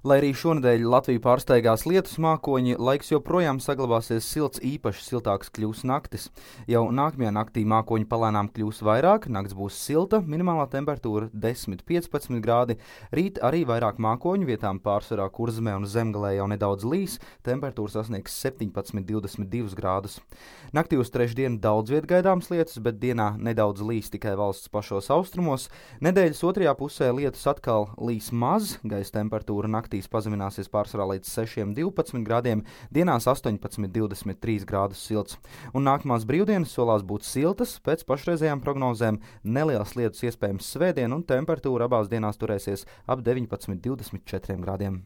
Lai arī šonedēļ Latviju pārsteigās lietus mākoņi, laiks joprojām saglabāsies silts, īpaši siltāks kļūs naktis. Jau nākamajā naktī mākoņi palēnām kļūs vairāk, nakts būs silta, minimālā temperatūra 10–15 grādi. Rīt arī vairāk mākoņu, vietām pārsvarā Kurzemē un Zemgalē jau nedaudz līs, temperatūra sasniegs 17–22 grādus. Naktī uz trešdienu daudz viet gaidāms lietus, bet dienā nedaudz līs tikai valsts pašos austrumos. Nedēļas otrajā pusē lietus atkal līs maz, gaisa temperatūra naktīs pazemināsies pārsvarā līdz 6–12 grādiem, dienās 18–23 grādus silts. Un nākamās brīvdienas solās būt siltas, pēc pašreizējām prognozēm neliels lietus iespējams svētdien un temperatūra abās dienās turēsies ap 19–24 grādiem.